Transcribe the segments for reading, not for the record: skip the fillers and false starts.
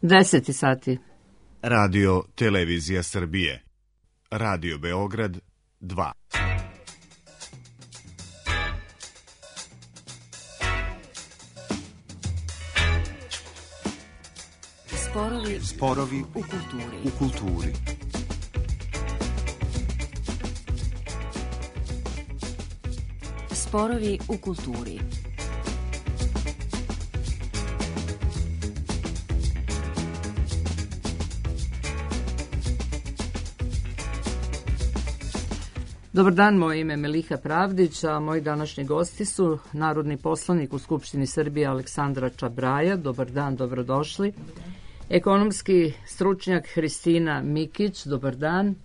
10 sati. Radio Televizija Srbije. Radio Beograd 2. Sporovi u kulturi. Sporovi u kulturi. Dobar dan, moje ime je Meliha Pravdić, a moji današnji gosti su narodni poslanik u Skupštini Srbije Aleksandra Čabraja. Dobar dan, dobrodošli. Ekonomski stručnjak Hristina Mikić, dobar dan.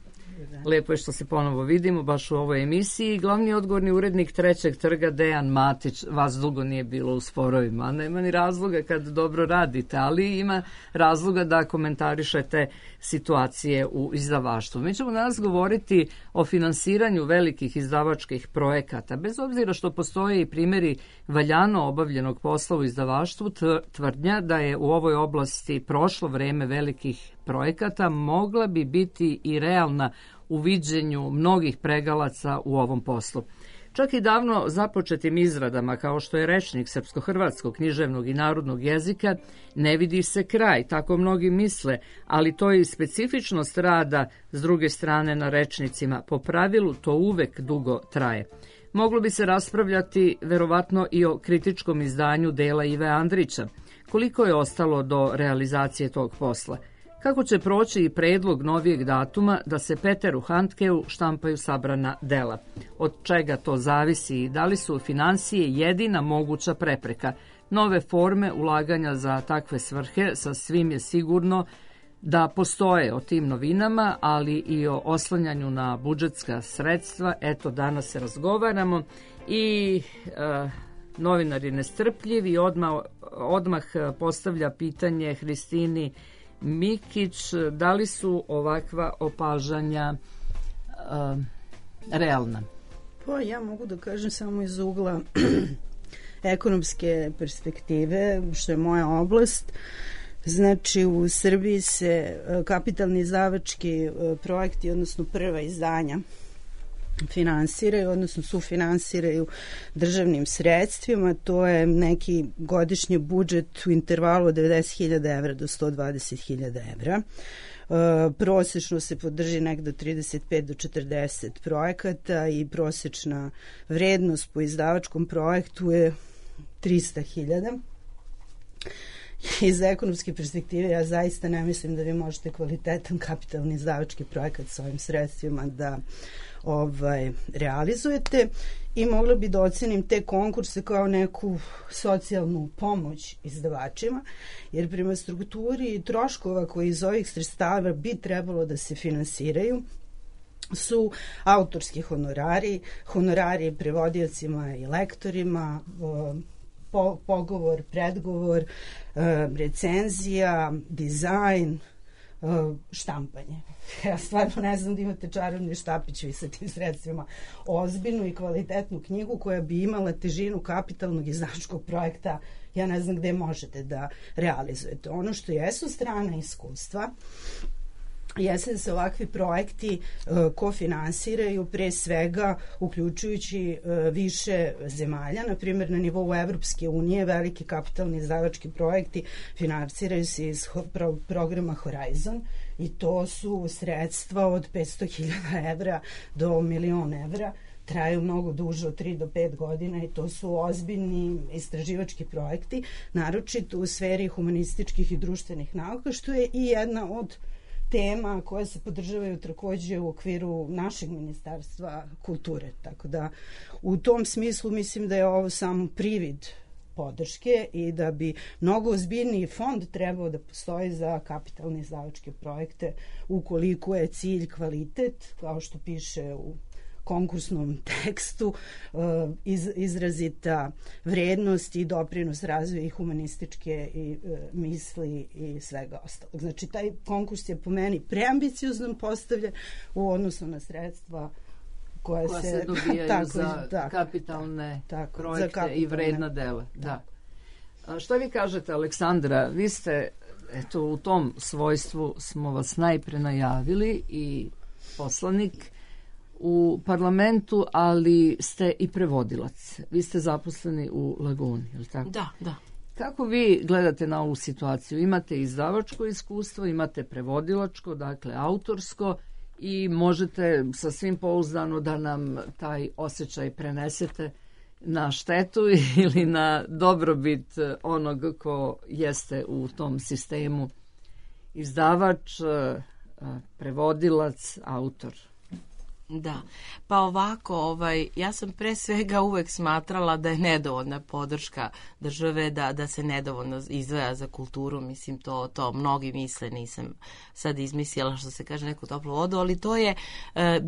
Lepo je što se ponovo vidimo baš u ovoj emisiji. Glavni odgovorni urednik Trećeg trga Dejan Matić. Vas dugo nije bilo u sporovima, nema ni razloga kad dobro radite, ali ima razloga da komentarišete situacije u izdavaštvu. Mi ćemo danas govoriti o finansiranju velikih izdavačkih projekata. Bez obzira što postoje i primjeri valjano obavljenog posla u izdavaštvu, tvrdnja da je u ovoj oblasti prošlo vreme velikih projekata mogla bi biti i realna u viđenju mnogih pregalaca u ovom poslu. Čak i davno započetim izradama, kao što je rečnik srpsko-hrvatskog, književnog i narodnog jezika, ne vidi se kraj, tako mnogi misle, ali to je i specifičnost rada s druge strane na rečnicima. Po pravilu to uvek dugo traje. Moglo bi se raspravljati verovatno i o kritičkom izdanju dela Ive Andrića. Koliko je ostalo do realizacije tog posla? Kako će proći i predlog novijeg datuma da se Peteru Handkeu štampaju sabrana dela? Od čega to zavisi i da li su finansije jedina moguća prepreka? Nove forme ulaganja za takve svrhe sa svim je sigurno da postoje o tim novinama, ali i o oslanjanju na budžetska sredstva. Eto, danas se razgovaramo i novinar je nestrpljiv i odmah postavlja pitanje Hristini Mikić, da li su ovakva opažanja realna? Pa ja mogu da kažem samo iz ugla ekonomske perspektive, što je moja oblast. Znači, u Srbiji se kapitalni izdavački projekti, odnosno prva izdanja, finansiraju, odnosno sufinansiraju državnim sredstvima. To je neki godišnji budžet u intervalu od 90.000 evra do 120.000 evra. Prosečno se podrži nekdo 35 do 40 projekata i prosečna vrednost po izdavačkom projektu je 300.000. Iz ekonomske perspektive ja zaista ne mislim da vi možete kvalitetan kapitalni izdavački projekat s ovim sredstvima da realizujete i mogla bi da ocenim te konkurse kao neku socijalnu pomoć izdavačima, jer prema strukturi troškova koji iz ovih sredstava bi trebalo da se finansiraju su autorski honorari prevodiocima i lektorima, pogovor, predgovor, recenzija, dizajn, štampanje. Ja stvarno ne znam da imate čarobni štapić vi sa tim sredstvima. Ozbiljnu i kvalitetnu knjigu koja bi imala težinu kapitalnog izdavačkog projekta, ja ne znam gde možete da realizujete. Ono što jesu strana iskustva jeste da se ovakvi projekti kofinansiraju pre svega uključujući više zemalja. Na primjer, na nivou Evropske unije veliki kapitalni izdavački projekti finansiraju se iz programa Horizon i to su sredstva od 500.000 evra do 1.000.000 evra. Traju mnogo duže od 3 do 5 godina i to su ozbiljni istraživački projekti, naročito u sferi humanističkih i društvenih nauka, što je i jedna od tema koje se podržavaju takođe u okviru našeg Ministarstva kulture. Tako da u tom smislu mislim da je ovo samo privid podrške i da bi mnogo ozbiljniji fond trebao da postoji za kapitalne izdavačke projekte ukoliko je cilj kvalitet, kao što piše u konkursnom tekstu, izrazita vrednost i doprinos razvoja i humanističke i misli i svega ostalog. Znači, taj konkurs je po meni preambiciozno postavljen u odnosu na sredstva koja se dobijaju za kapitalne projekte i vredna dela. Da. Šta vi kažete, Aleksandra? Vi ste eto, u tom svojstvu smo vas najpre najavili i poslanik u parlamentu, ali ste i prevodilac. Vi ste zaposleni u Laguni, je li tako? Da. Kako vi gledate na ovu situaciju? Imate izdavačko iskustvo, imate prevodilačko, dakle autorsko, i možete sasvim pouzdano da nam taj osjećaj prenesete na štetu ili na dobrobit onog ko jeste u tom sistemu izdavač, prevodilac, autor. Da, pa ovako, ja sam pre svega uvek smatrala da je nedovoljna podrška države, da se nedovoljno izdvaja za kulturu, mislim to mnogi misle, nisam sad izmislila što se kaže neku toplu vodu, ali to je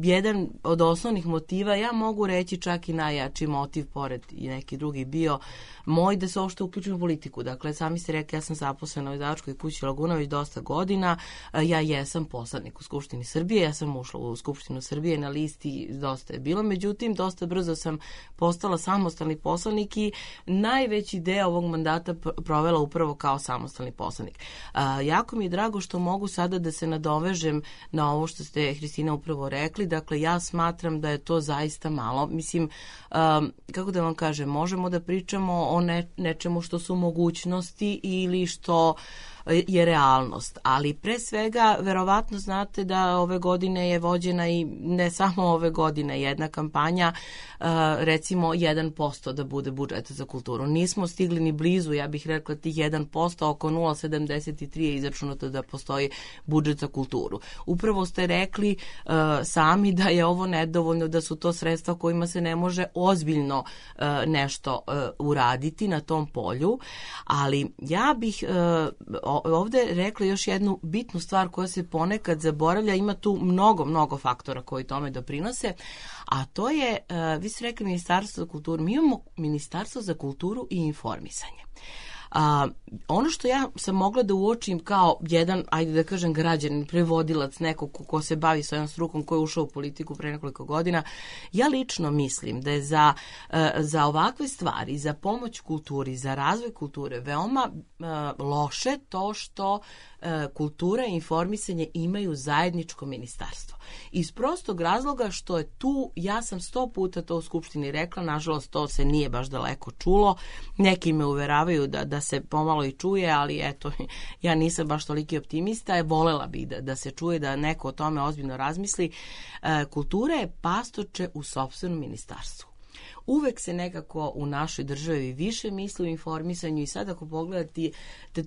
jedan od osnovnih motiva, ja mogu reći čak i najjači motiv, pored i neki drugi bio moj, da se uopšte uključim u politiku. Dakle, sami ste rekli, ja sam zaposlena u izdavačkoj kući Laguna već dosta godina, ja jesam poslanik u Skupštini Srbije, ja sam ušla u Skupštinu Srbije, na listi dosta je bilo, međutim, dosta brzo sam postala samostalni poslanik i najveći deo ovog mandata provela upravo kao samostalni poslanik. Jako mi je drago što mogu sada da se nadovežem na ovo što ste, Hristina, upravo rekli. Dakle, ja smatram da je to zaista malo. Mislim, kako da vam kažem, možemo da pričamo o nečemu što su mogućnosti ili što je realnost, ali pre svega verovatno znate da ove godine je vođena i ne samo ove godine jedna kampanja, recimo 1% da bude budžeta za kulturu. Nismo stigli ni blizu, ja bih rekla, tih 1%, oko 0,73 je izračunato da postoji budžet za kulturu. Upravo ste rekli sami da je ovo nedovoljno, da su to sredstva kojima se ne može ozbiljno nešto uraditi na tom polju, ali ja bih ovde rekla još jednu bitnu stvar koja se ponekad zaboravlja, ima tu mnogo faktora koji tome doprinose, a to je, vi ste rekli Ministarstvo za kulturu, mi imamo Ministarstvo za kulturu i informisanje. Ono što ja sam mogla da uočim kao jedan, ajde da kažem, građanin, prevodilac, neko ko se bavi svojom strukom, ko je ušao u politiku pre nekoliko godina, ja lično mislim da je za ovakve stvari, za pomoć kulturi, za razvoj kulture veoma loše to što kultura i informisanje imaju zajedničko ministarstvo. Iz prostog razloga što je tu, ja sam 100 puta to u Skupštini rekla, nažalost to se nije baš daleko čulo, neki me uveravaju da se pomalo i čuje, ali eto, ja nisam baš toliki optimista, volela bih da se čuje, da neko o tome ozbiljno razmisli. Kultura je pastorče u sopstvenom ministarstvu. Uvek se nekako u našoj državi više misli o informisanju i sad ako pogledate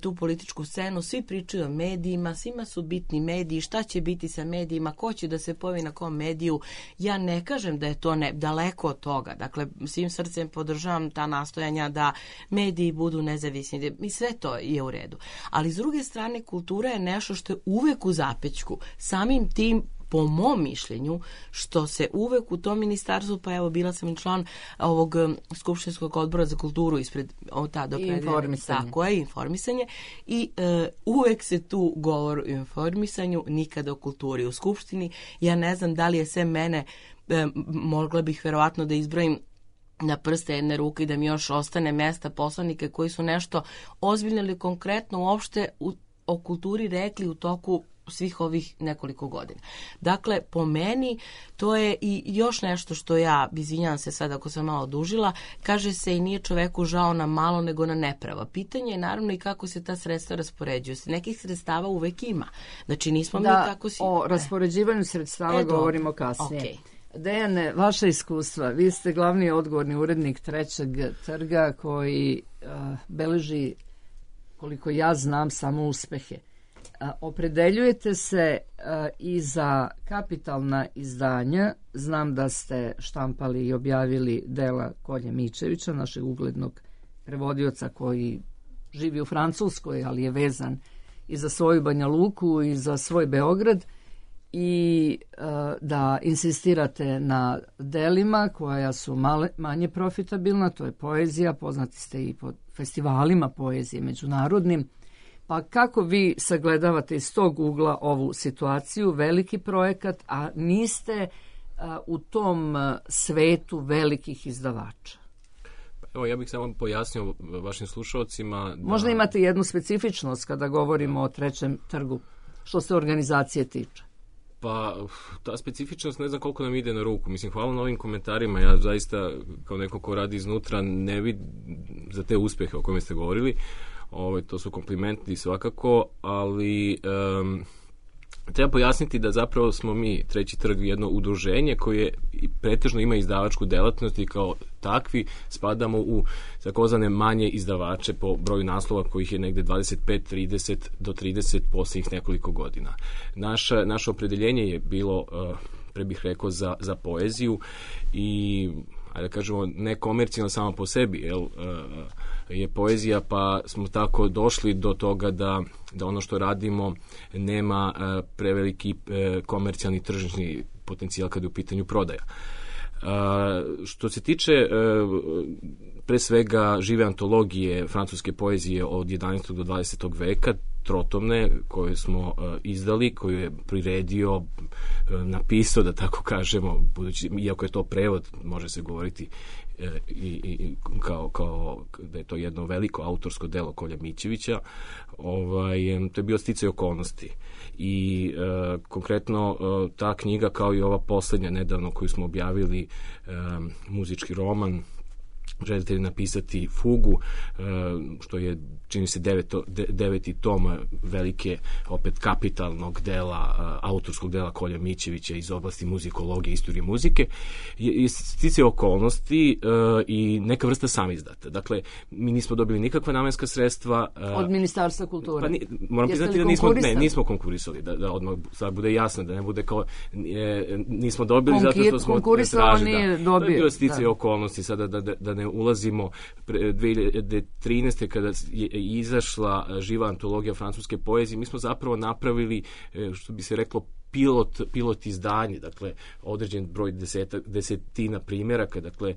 tu političku scenu, svi pričaju o medijima, svima su bitni mediji, šta će biti sa medijima, ko će da se pojavi na kom mediju. Ja ne kažem da je to daleko od toga. Dakle, svim srcem podržavam ta nastojanja da mediji budu nezavisni i sve to je u redu. Ali s druge strane, kultura je nešto što je uvek u zapećku. Samim tim, po mom mišljenju, što se uvek u tom ministarstvu, pa evo bila sam i član ovog Skupštinskog odbora za kulturu ispred informisanje i uvek se tu govori o informisanju, nikada o kulturi u Skupštini. Ja ne znam da li je sve mene, mogla bih verovatno da izbrojim na prste jedne ruke i da mi još ostane mesta poslanike koji su nešto ozbiljno ili konkretno uopšte o kulturi rekli u toku svih ovih nekoliko godina. Dakle, po meni, to je i još nešto što ja, izvinjavam se sad ako sam malo odužila, kaže se i nije čoveku žao na malo nego na neprava. Pitanje je naravno i kako se ta sredstva raspoređuju. Nekih sredstava uvek ima. Znači, nismo mi tako o raspoređivanju sredstava govorimo kasnije. Okay. Dejane, vaša iskustva, vi ste glavni odgovorni urednik Trećeg trga koji beleži, koliko ja znam, samo uspehe. Opredeljujete se i za kapitalna izdanja. Znam da ste štampali i objavili dela Kolje Mičevića, našeg uglednog prevodioca koji živi u Francuskoj, ali je vezan i za svoju Banja Luku i za svoj Beograd, i da insistirate na delima koja su manje profitabilna, to je poezija, poznati ste i po festivalima poezije međunarodnim. Pa kako vi sagledavate iz tog ugla ovu situaciju, veliki projekat, a niste u tom svetu velikih izdavača? Evo, ja bih samo pojasnio vašim slušalcima. Možda imate jednu specifičnost kada govorimo o Trećem trgu, što se organizacije tiče. Pa, ta specifičnost ne znam koliko nam ide na ruku. Mislim, hvala na ovim komentarima. Ja zaista, kao neko ko radi iznutra, ne vidim za te uspehe o kojima ste govorili. To su komplimenti svakako, ali treba pojasniti da zapravo smo mi, Treći trg, jedno udruženje koje pretežno ima izdavačku delatnost i kao takvi spadamo u takozvane manje izdavače po broju naslova kojih je negde 25, 30 do 30 posljednjih nekoliko godina. Naše opredeljenje je bilo, pre bih rekao, za poeziju i, ajde da kažemo, ne komercijalno samo po sebi, je poezija, pa smo tako došli do toga da ono što radimo nema preveliki komercijalni tržišni potencijal kada je u pitanju prodaja. Što se tiče pre svega žive antologije francuske poezije od 11. do 20. veka, trotomne, koje smo izdali, koju je priredio, napisao, da tako kažemo, budući, iako je to prevod, može se govoriti i kao da je to jedno veliko autorsko delo Kolja Mićevića, to je bio sticaj okolnosti. I konkretno ta knjiga, kao i ova poslednja nedavno koju smo objavili, muzički roman, želite li napisati fugu, što je, čini se, deveti tom velike, opet kapitalnog dela, autorskog dela Kolja Mićevića iz oblasti muzikologije i istorije muzike, je sticaje okolnosti i neka vrsta samizdata. Dakle, mi nismo dobili nikakva namenska sredstva. Od Ministarstva kulture? Pa moram priznati da nismo konkurisali, da odmah sad bude jasno, da ne bude kao nismo dobili zato što smo tražili. To je bilo sticaje okolnosti, sada da ne ulazimo 2013. kada je izašla živa antologija francuske poezije, mi smo zapravo napravili, što bi se reklo, pilot izdanje, dakle određen broj desetina primjeraka, dakle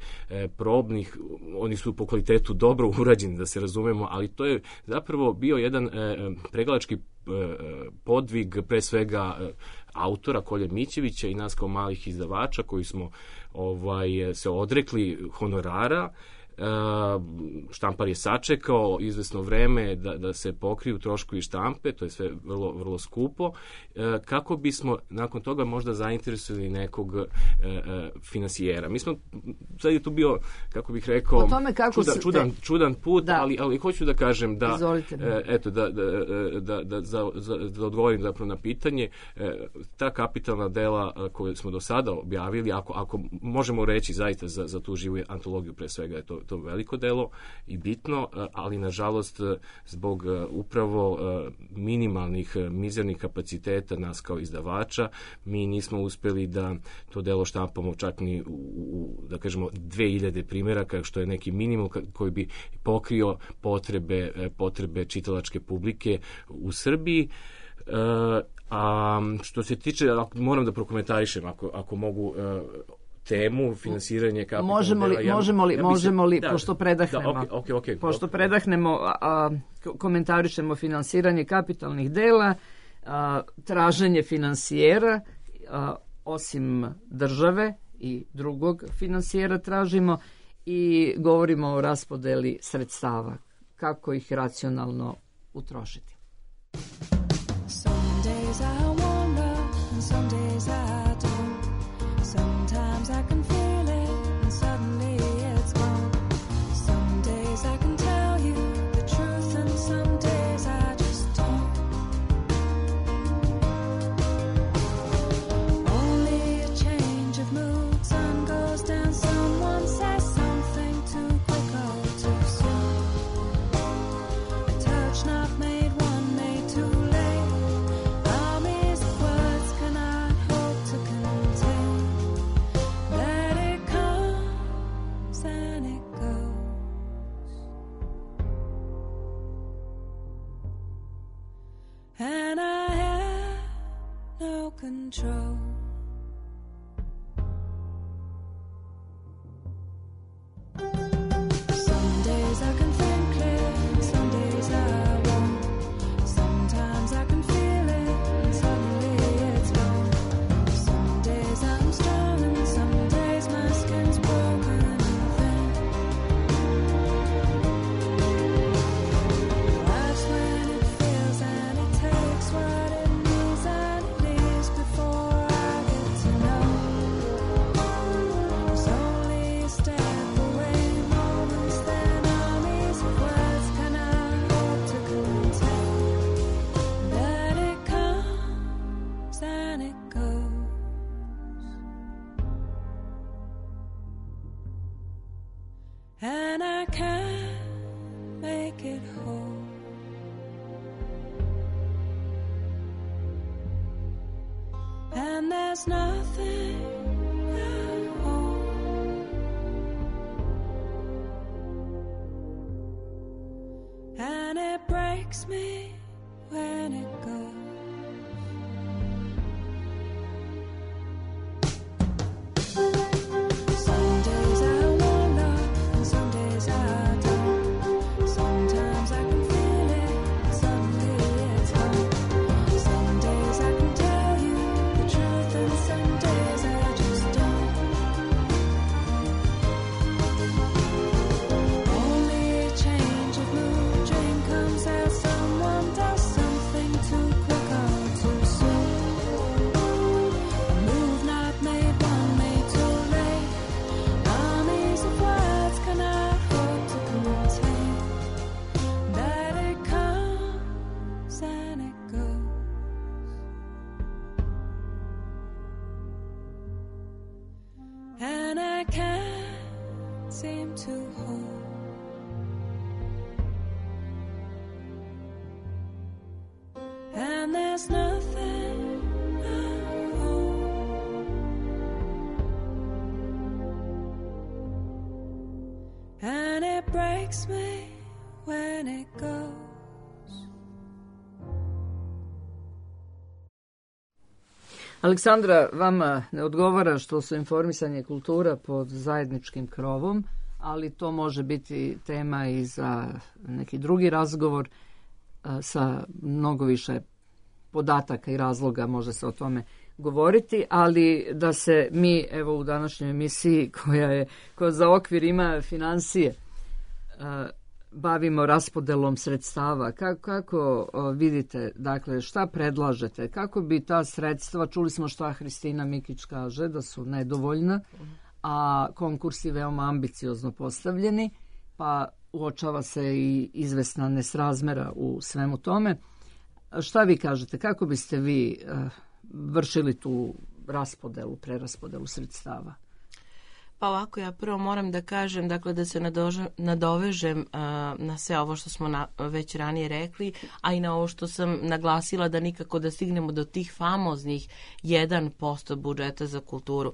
probnih, oni su po kvalitetu dobro urađeni, da se razumemo, ali to je zapravo bio jedan pregledački podvig pre svega autora Kolje Mićevića i nas kao malih izdavača koji smo se odrekli honorara. Štampar je sačekao izvesno vreme da se pokriju troškovi štampe, to je sve vrlo, vrlo skupo, kako bismo nakon toga možda zainteresovali nekog finansijera. Mi smo, sad je tu bio, kako bih rekao, čudan put, ali hoću da kažem da, eto, da odgovorim zapravo na pitanje, ta kapitalna dela koje smo do sada objavili, ako možemo reći zaista za tu živu antologiju, pre svega je to veliko delo i bitno, ali nažalost zbog upravo minimalnih, mizernih kapaciteta nas kao izdavača, mi nismo uspeli da to delo štampamo čak ni da kažemo 2000 primjeraka, što je neki minimum koji bi pokrio potrebe čitalačke publike u Srbiji. A što se tiče, moram da prokomentarišem ako mogu, temu finansiranje kapitalnog dela. Možemo li, pošto predahnemo, pošto predahnemo, komentarišemo finansiranje kapitalnih dela, traženje finansijera, osim države i drugog finansijera tražimo i govorimo o raspodeli sredstava, kako ih racionalno utrošiti. Some days I wonder and some days I don't. Sometimes I can feel it and suddenly it's gone. Some days I can tell you the truth and some days I just don't. Only a change of mood, sun goes down, someone says something too quick or too soon. A touch not made, one made too late. Armies of words cannot hope to contain. That it comes and it goes, and I have no control. Some days I can think clear, some days I won't. Sometimes I can feel it, and suddenly it's gone. Some days I'm strong, and some days my skin's broken and thin. there's nothing at all. And it breaks me when it goes. Some days I wonder, and some days I don't. Sometimes I can feel it, someday it's gone. Some days I can tell you the truth, and some days I just don't. Only a change of mood, dream comes as someone does something too quick or too soon. A move not made, one made too late. Armies of words cannot hope to contain that it comes and it goes. And I can't seem to hold. And there's nothing at all. And it breaks me when it goes. Aleksandra, vama ne odgovara što su informisanje i kultura pod zajedničkim krovom, ali to može biti tema i za neki drugi razgovor sa mnogo više podataka i razloga, može se o tome govoriti, ali da se mi evo u današnjoj emisiji koja za okvir ima finansije, bavimo raspodelom sredstava. Kako vidite, dakle, šta predlažete? Kako bi ta sredstva, čuli smo šta Hristina Mikić kaže, da su nedovoljna, a konkursi veoma ambiciozno postavljeni, pa uočava se i izvesna nesrazmera u svemu tome. Šta vi kažete? Kako biste vi vršili tu preraspodelu sredstava? Pa ovako, ja prvo moram da kažem, dakle, da se nadovežem na sve ovo što smo već ranije rekli, a i na ovo što sam naglasila da nikako da stignemo do tih famoznih 1% budžeta za kulturu.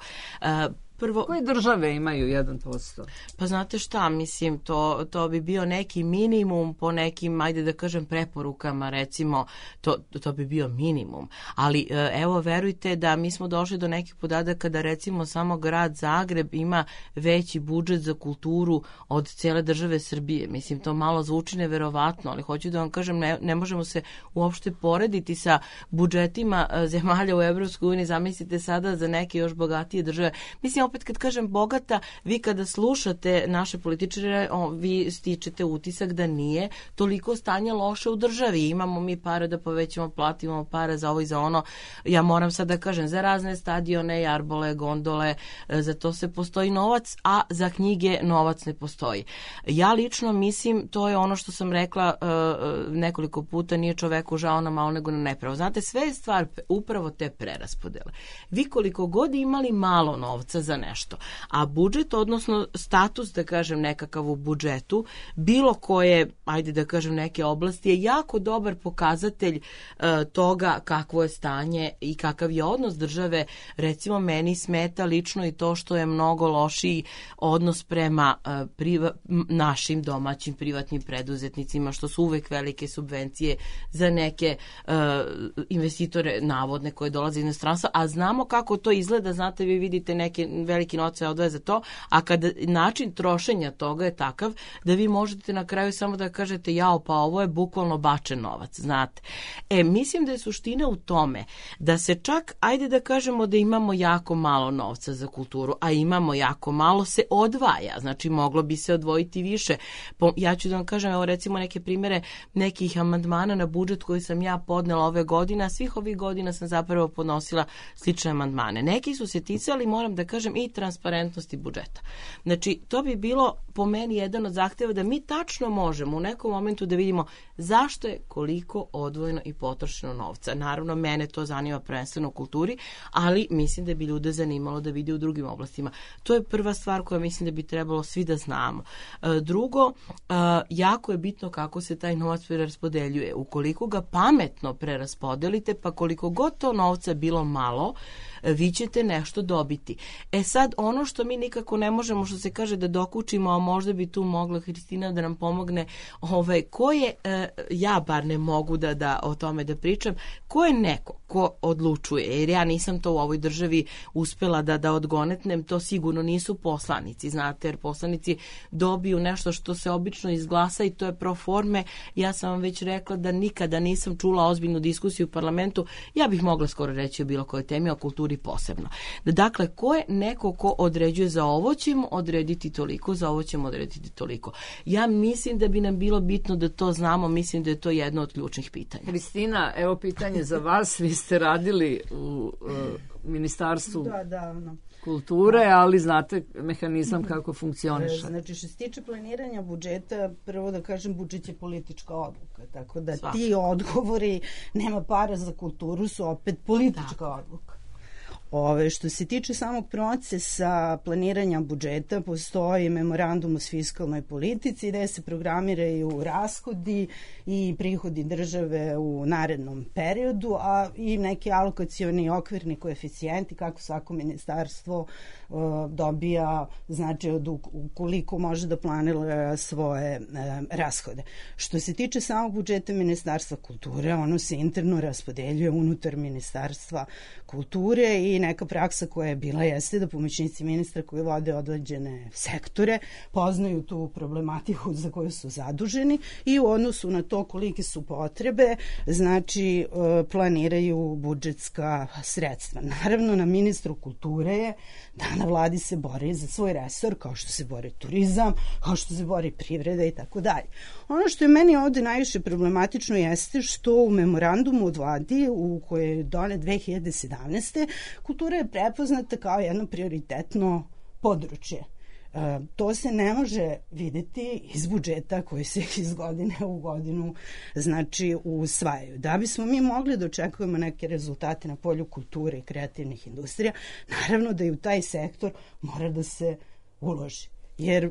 Prvo, koje države imaju 1%? Pa znate šta, mislim, to bi bio neki minimum po nekim, ajde da kažem, preporukama, recimo, to bi bio minimum. Ali evo, verujte da mi smo došli do nekih podataka da recimo samo grad Zagreb ima veći budžet za kulturu od cijele države Srbije. Mislim, to malo zvuči neverovatno, ali hoću da vam kažem, ne možemo se uopšte porediti sa budžetima zemalja u Evropskoj uniji. Zamislite sada za neke još bogatije države. Mislim, opet kad kažem bogata, vi kada slušate naše političare, vi stičete utisak da nije toliko stanje loše u državi. Imamo mi pare da povećamo plati, imamo pare za ovo i za ono. Ja moram sad da kažem, za razne stadione, jarbole, gondole, za to se postoji novac, a za knjige novac ne postoji. Ja lično mislim, to je ono što sam rekla nekoliko puta, nije čoveku žao na malo nego na nepravo. Znate, sve je stvar upravo te preraspodele. Vi koliko god imali malo novca za nešto, a budžet, odnosno status, da kažem, nekakav u budžetu, bilo koje, ajde da kažem, neke oblasti, je jako dobar pokazatelj toga kakvo je stanje i kakav je odnos države. Recimo, meni smeta lično i to što je mnogo lošiji odnos prema našim domaćim privatnim preduzetnicima, što su uvek velike subvencije za neke investitore navodne koje dolaze iz inostranstva, a znamo kako to izgleda. Znate, vi vidite neke veliki novac odvaja za to, a kada način trošenja toga je takav da vi možete na kraju samo da kažete jao, pa ovo je bukvalno bačen novac, znate. Mislim da je suština u tome da se čak, ajde da kažemo da imamo jako malo novca za kulturu, a imamo jako malo se odvaja, znači moglo bi se odvojiti više. Ja ću da vam kažem, evo recimo neke primere nekih amandmana na budžet koji sam ja podnela ove godine, a svih ovih godina sam zapravo podnosila slične amandmane. Neki su se ticali, moram da kažem, i transparentnosti budžeta. Znači, to bi bilo po meni jedan od zahteva da mi tačno možemo u nekom momentu da vidimo zašto je koliko odvojeno i potrošeno novca. Naravno, mene to zanima prvenstveno u kulturi, ali mislim da bi ljude zanimalo da vide u drugim oblastima. To je prva stvar koja mislim da bi trebalo svi da znamo. Drugo, jako je bitno kako se taj novac preraspodeljuje. Ukoliko ga pametno preraspodelite, pa koliko god to novca bilo malo, vi ćete nešto dobiti. Sad, ono što mi nikako ne možemo, što se kaže da dokučimo, a možda bi tu mogla Hristina da nam pomogne, ko je, ja bar ne mogu da o tome da pričam, ko je neko ko odlučuje, jer ja nisam to u ovoj državi uspela da odgonetnem, to sigurno nisu poslanici, znate, jer poslanici dobiju nešto što se obično izglasa i to je pro forme. Ja sam vam već rekla da nikada nisam čula ozbiljnu diskusiju u parlamentu, ja bih mogla skoro reći o bilo kojoj temi, o kulturi posebno. Dakle, ko je neko ko određuje za ovo ćemo odrediti toliko, za ovo ćemo odrediti toliko. Ja mislim da bi nam bilo bitno da to znamo, mislim da je to jedno od ključnih pitanja. Hristina, evo pitanje za vas, vi ste radili u Ministarstvu kulture, ali znate mehanizam kako funkcioniše. Znači, što se tiče planiranja budžeta, prvo da kažem, budžet je politička odluka, tako da ti odgovori, nema para za kulturu, su opet politička odluka. Što se tiče samog procesa planiranja budžeta, postoji memorandum o fiskalnoj politici gde se programiraju rashodi i prihodi države u narednom periodu, a i neki alokacioni okvirni koeficijenti kako svako ministarstvo dobija, znači koliko može da planira svoje rashode. Što se tiče samog budžeta Ministarstva kulture, ono se interno raspodeljuje unutar Ministarstva kulture i neka praksa koja je bila jeste da pomoćnici ministra koji vode određene sektore poznaju tu problematiku za koju su zaduženi i u odnosu na to kolike su potrebe, znači planiraju budžetska sredstva. Naravno, na ministru kulture je da na vladi se bori za svoj resor, kao što se bori turizam, kao što se bori privreda i tako dalje. Ono što je meni ovde najviše problematično jeste što u memorandumu od vladi u kojoj je donet 2017. kultura je prepoznata kao jedno prioritetno područje. To se ne može videti iz budžeta koji se iz godine u godinu znači usvajaju. Da bismo mi mogli da očekujemo neke rezultate na polju kulture i kreativnih industrija, naravno da i u taj sektor mora da se uloži. Jer,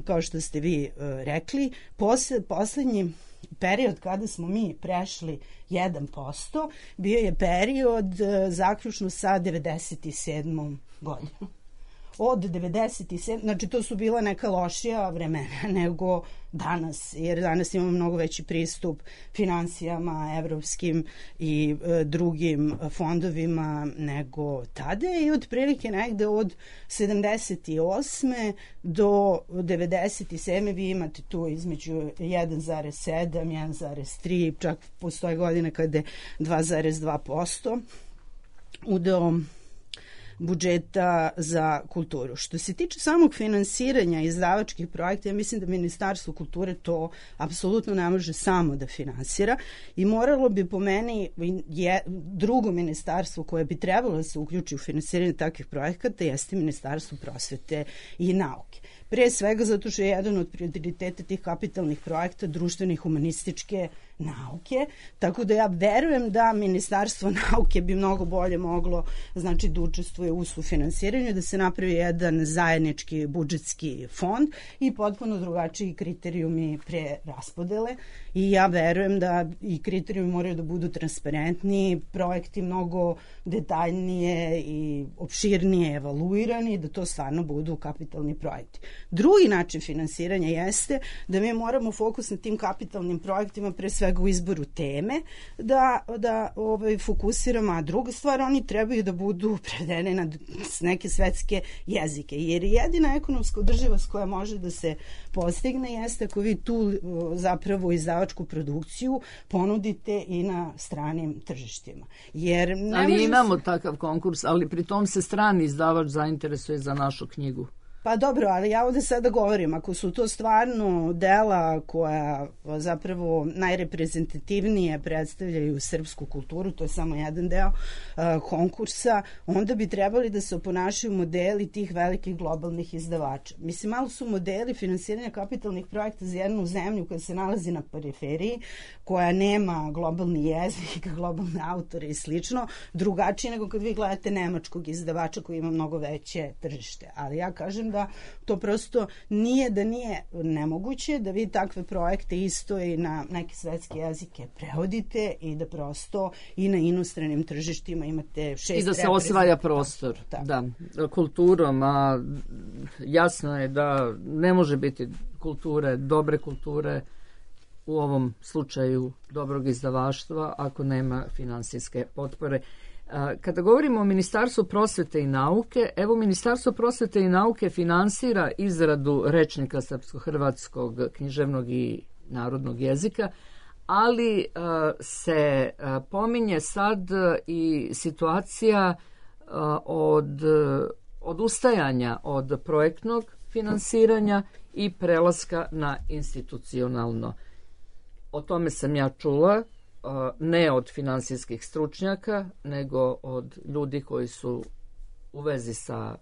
kao što ste vi rekli, poslednji period kada smo mi prešli 1% bio je period zaključno sa 97. godinom. Od 97, znači to su bila neka lošija vremena nego danas, jer danas imamo mnogo veći pristup finansijama, evropskim i drugim fondovima nego tada i otprilike negde od 78. do 97. vi imate tu između 1,7, 1,3, čak postoje godine kada je 2,2% udeo budžeta za kulturu. Što se tiče samog finansiranja izdavačkih projekta, ja mislim da Ministarstvo kulture to apsolutno ne može samo da finansira i moralo bi po meni drugo ministarstvo koje bi trebalo da se uključi u finansiranje takvih projekata jeste Ministarstvo prosvete i nauke. Pre svega zato što je jedan od prioriteta tih kapitalnih projekta društvene i humanističke nauke, tako da ja verujem da Ministarstvo nauke bi mnogo bolje moglo znači da učestvuje u sufinansiranju, da se napravi jedan zajednički budžetski fond i potpuno drugačiji kriterijumi preraspodele i ja verujem da i kriterijumi moraju da budu transparentni, projekti mnogo detaljnije i opširnije evaluirani, da to stvarno budu kapitalni projekti. Drugi način finansiranja jeste da mi moramo fokus na tim kapitalnim projektima pre svega u izboru teme da fokusiramo, a druga stvar, oni trebaju da budu prevedene na neke svetske jezike, jer jedina ekonomska održivost koja može da se postigne jeste ako vi tu zapravo izdavačku produkciju ponudite i na stranim tržištima. Jer ali imamo takav konkurs, ali pri tom se strani izdavač zainteresuje za našu knjigu. Pa dobro, ali ja ovde sada govorim, ako su to stvarno dela koja zapravo najreprezentativnije predstavljaju srpsku kulturu, to je samo jedan deo konkursa, onda bi trebali da se oponašaju modeli tih velikih globalnih izdavača. Mislim, malo su modeli finansiranja kapitalnih projekta za jednu zemlju koja se nalazi na periferiji, koja nema globalni jezik, globalne autore i slično, drugačije nego kad vi gledate nemačkog izdavača koji ima mnogo veće tržište. Ali ja kažem da to prosto nije nemoguće da vi takve projekte isto i na neke svetske jezike prevodite i da prosto i na inostranim tržištima imate 6 i da se osvaja prostor. Da, kulturom, a jasno je da ne može biti kulture, dobre kulture u ovom slučaju dobrog izdavaštva ako nema finansijske potpore. Kada govorimo o Ministarstvu prosvete i nauke, evo Ministarstvo prosvete i nauke finansira izradu rečnika srpsko-hrvatskog književnog i narodnog jezika, ali se pominje sad i situacija od odustajanja od projektnog finansiranja i prelaska na institucionalno. O tome sam ja čula, ne od finansijskih stručnjaka, nego od ljudi koji su u vezi sa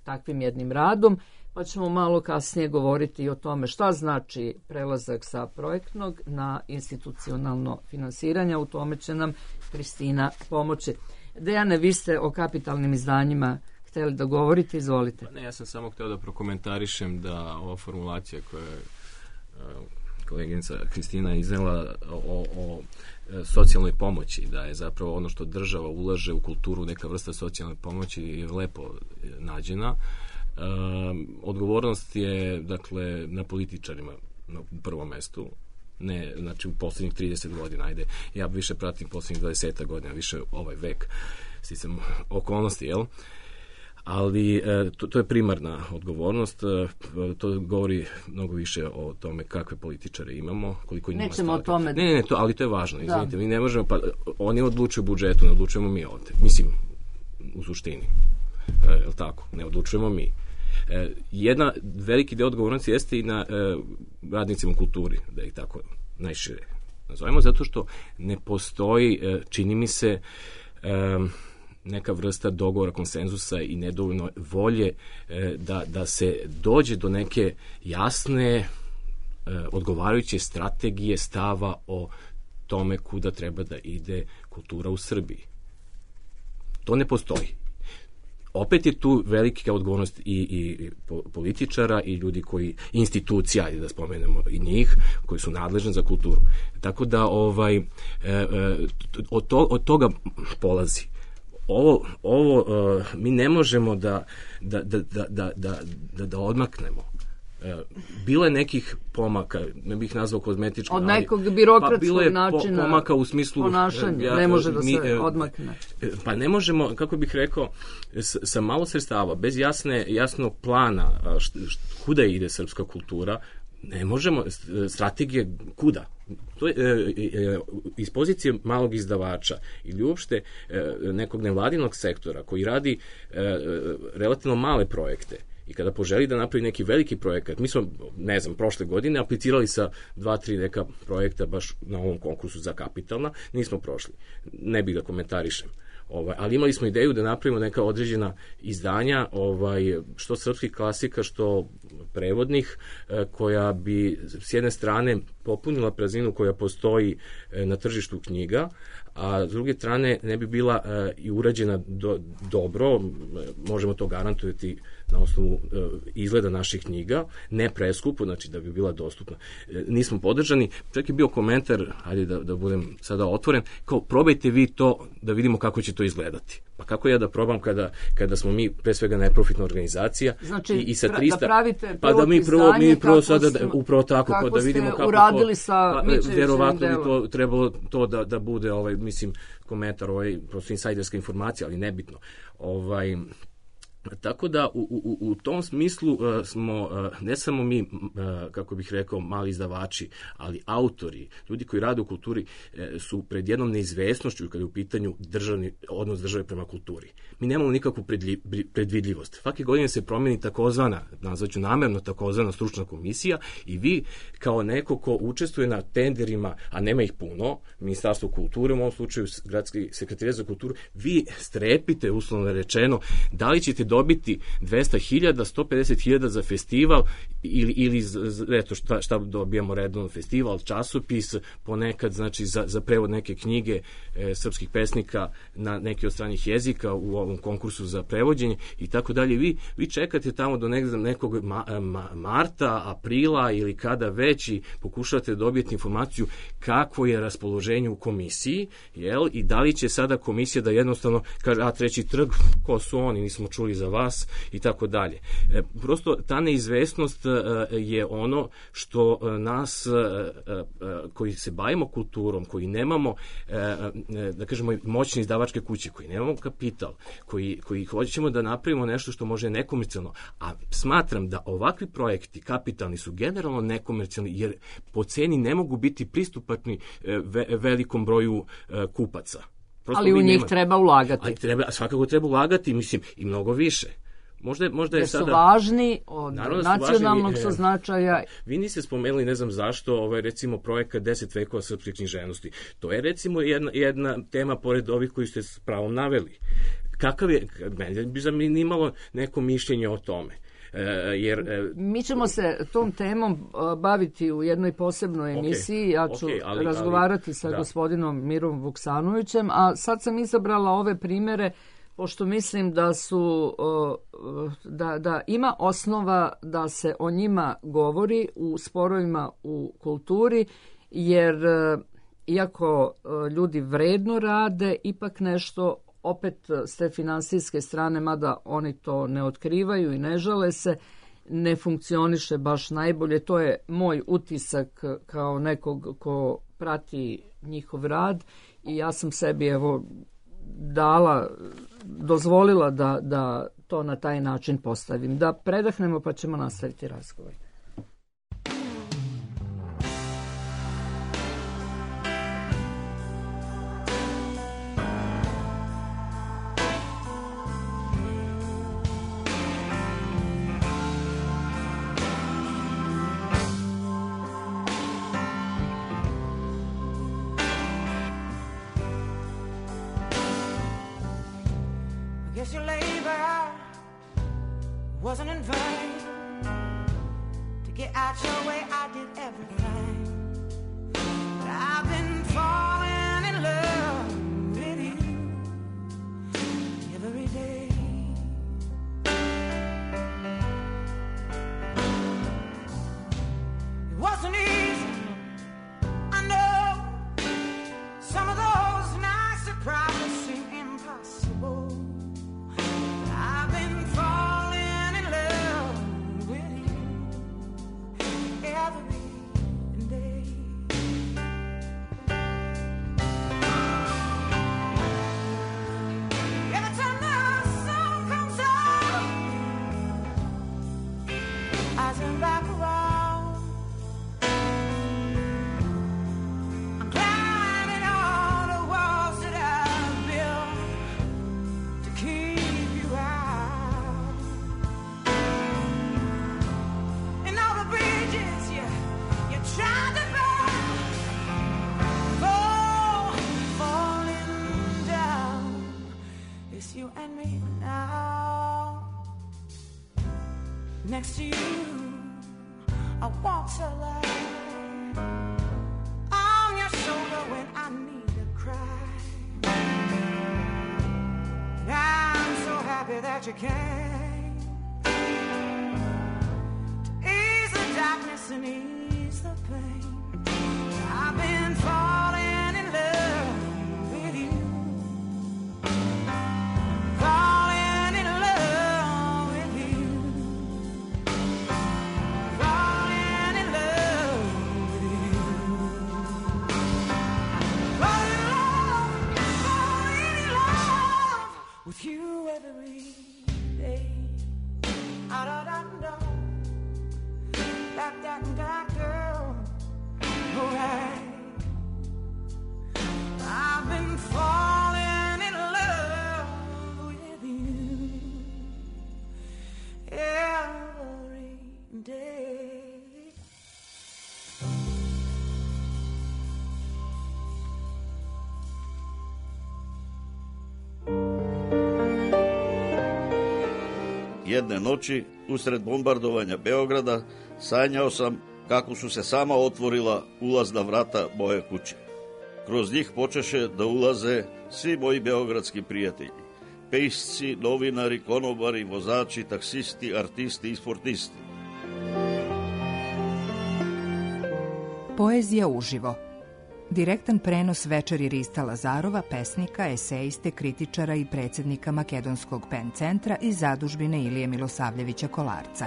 takvim jednim radom, pa ćemo malo kasnije govoriti i o tome šta znači prelazak sa projektnog na institucionalno finansiranje. U tome će nam Kristina pomoći. Dejane, vi ste o kapitalnim izdanjima hteli da govorite, izvolite. Ne, ja sam samo hteo da prokomentarišem da ova formulacija koja je koleginica Kristina iznela o socijalnoj pomoći, da je zapravo ono što država ulaže u kulturu, neka vrsta socijalne pomoći, je lepo nađena. Odgovornost je, dakle, na političarima na prvom mestu, ne, znači u poslednjih 30 godina, ajde, ja više pratim poslednjih 20 godina, više ovaj vek, sticam okolnosti, jel? Ali to je primarna odgovornost, to govori mnogo više o tome kakve političare imamo, koliko njima nećemo staviti. O tome. Ne, ali to je važno, izvinite, mi ne možemo, pa oni odlučuju budžetu, ne odlučujemo mi ovde, mislim, u suštini, je li tako, ne odlučujemo mi. Jedna veliki deo odgovornosti jeste i na radnicima u kulturi, da ih tako najšire nazovemo, zato što ne postoji, čini mi se, neka vrsta dogovora, konsenzusa i nedovoljno volje da se dođe do neke jasne, odgovarajuće strategije stava o tome kuda treba da ide kultura u Srbiji. To ne postoji. Opet je tu velika odgovornost i političara i ljudi koji, institucija, da spomenemo i njih, koji su nadležni za kulturu. Tako da od toga polazi. Ovo mi ne možemo da odmaknemo. Bilo je nekih pomaka, ne bih nazvao kozmetički, od nekog birokratskog načina pomaka u smislu ponašanja, ne može da se odmakne. Pa ne možemo, kako bih rekao, sa malo sredstava, bez jasnog plana kuda ide srpska kultura, ne možemo, strategije kuda. To je iz pozicije malog izdavača ili uopšte nekog nevladinog sektora koji radi relativno male projekte i kada poželi da napravi neki veliki projekat, mi smo, ne znam, prošle godine aplicirali sa 2-3 neka projekta baš na ovom konkursu za kapitalna, nismo prošli. Ne bih da komentarišem. Ali imali smo ideju da napravimo neka određena izdanja, što srpskih klasika, što prevodnih, koja bi s jedne strane popunila prazninu koja postoji na tržištu knjiga, a s druge strane ne bi bila i urađena dobro, možemo to garantovati na osnovu izgleda naših knjiga, ne preskupo, znači da bi bila dostupna. Nismo podržani, čak je bio komentar, ajde da budem sada otvoren, kao probajte vi to da vidimo kako će to izgledati. Pa kako ja da probam kada smo mi pre svega neprofitna organizacija, znači, i sa 300, da pravite pa da mi prvo sada upravo tako, pa da vidimo kako uradili sa verovatno bi to trebalo to da bude mislim komentar, prosto insajderska informacija, ali nebitno. Tako da u tom smislu smo ne samo mi, kako bih rekao, mali izdavači, ali autori, ljudi koji rade u kulturi su pred jednom neizvesnošću kada je u pitanju odnos države prema kulturi. Mi nemamo nikakvu predvidljivost. Svake godine se promeni takozvana, nazvaću namerno takozvana stručna komisija i vi kao neko ko učestvuje na tenderima, a nema ih puno, Ministarstvo kulture, u ovom slučaju Gradski sekretarijat za kulturu, vi strepite, uslovno rečeno, da li ćete dobiti 200.000, 150.000 za festival ili eto šta dobijamo redovno, festival, časopis, ponekad znači za prevod neke knjige srpskih pesnika na neki od stranih jezika u ovom konkursu za prevođenje i tako dalje. Vi čekate tamo do nekog marta, aprila ili kada već i pokušavate dobiti informaciju kakvo je raspoloženje u komisiji, jel? I da li će sada komisija da jednostavno kaže, a Treći trg, ko su oni, nismo čuli za vas i tako dalje. Prosto ta neizvesnost je ono što nas koji se bavimo kulturom, koji nemamo da kažemo moćne izdavačke kuće, koji nemamo kapital, koji hoćemo da napravimo nešto što može nekomercijalno, a smatram da ovakvi projekti kapitalni su generalno nekomercijalni jer po ceni ne mogu biti pristupačni velikom broju kupaca. Prosto ali u njih treba ulagati. Svakako treba ulagati, mislim, i mnogo više. Možda je sada... su važni od nacionalnog su značaja. Vi niste spomenuli, ne znam zašto, recimo projekat 10 vekova srpske književnosti. To je recimo jedna tema pored ovih koji ste s pravom naveli. Kakav je, meni bi zanimalo neko mišljenje o tome. Mi ćemo se tom temom baviti u jednoj posebnoj emisiji. Ja ću razgovarati sa gospodinom Mirom Vuksanovićem, a sad sam izabrala ove primere pošto mislim da su da ima osnova da se o njima govori u sporovima u kulturi, jer iako ljudi vredno rade, ipak nešto opet s te finansijske strane, mada oni to ne otkrivaju i ne žale se, ne funkcioniše baš najbolje. To je moj utisak kao nekog ko prati njihov rad i ja sam sebi dozvolila da to na taj način postavim. Da predahnemo pa ćemo nastaviti razgovor. Guess your labor wasn't in vain. To get out your way, I did everything. But I've been falling in love with you every day. It wasn't easy, I know. Some of those nights that probably seem impossible. I've been falling in love with you every day. Every time the sun comes out, I turn back around. I'm climbing all the walls that I've built to keep you out, and all the bridges you tried to burn, falling down. It's you and me now. Next to you, I walk so light. On your shoulder when I need to cry. And I'm so happy that you came to ease the darkness and ease the pain. I've been falling in love with you, falling in love with you, falling in love with you, falling in love with you every day. Jedne noći, usred bombardovanja Beograda, sanjao sam kako su se sama otvorila ulazna vrata moje kuće. Kroz njih počeše da ulaze svi moji beogradski prijatelji. Pisci, novinari, konobari, vozači, taksisti, artisti i sportisti. Poezija uživo. Direktan prenos večeri Rista Lazarova, pesnika, eseiste, kritičara i predsjednika Makedonskog PEN centra iz zadužbine Ilije Milosavljevića Kolarca.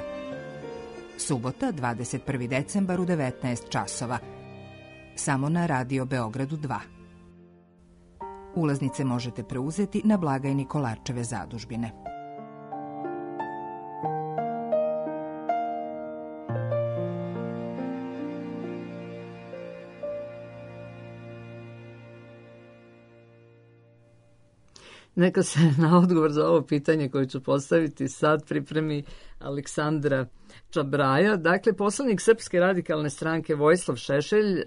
Subota, 21. decembar u 19 časova. Samo na Radio Beogradu 2. Ulaznice možete preuzeti na blagajni Kolarčeve zadužbine. Neka se na odgovor za ovo pitanje koje ću postaviti sad pripremi Aleksandra Čabraja. Dakle, poslanik Srpske radikalne stranke Vojislav Šešelj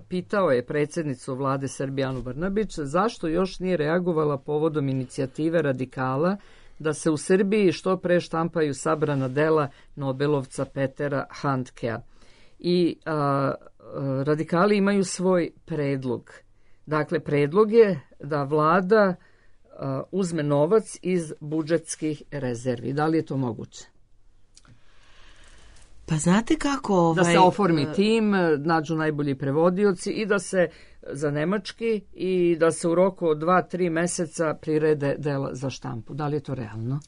pitao je predsjednicu vlade Srbije Anu Brnabić zašto još nije reagovala povodom inicijative radikala da se u Srbiji što pre štampaju sabrana dela Nobelovca Petera Handkea. I radikali imaju svoj predlog. Dakle, predlog je da vlada uzme novac iz budžetskih rezervi. Da li je to moguće? Pa znate kako... Da se oformi tim, nađu najbolji prevodioci i da se za nemački i da se u roku od 2-3 meseca prirede dela za štampu. Da li je to realno?